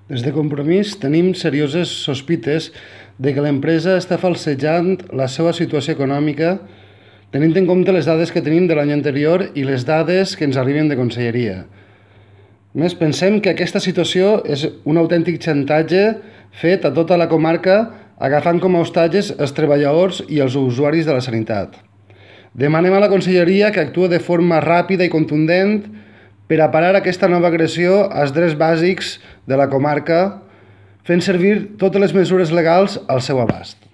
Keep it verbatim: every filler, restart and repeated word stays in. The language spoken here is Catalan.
Des de Compromís tenim serioses sospites de que l'empresa està falsejant la seva situació econòmica tenint en compte les dades que tenim de l'any anterior i les dades que ens arriben de conselleria. A més, pensem que aquesta situació és un autèntic xantatge fet a tota la comarca agafant com a hostatges els treballadors i els usuaris de la sanitat. Demanem a la conselleria que actuï de forma ràpida i contundent per a parar aquesta nova agressió als drets bàsics de la comarca, fent servir totes les mesures legals al seu abast.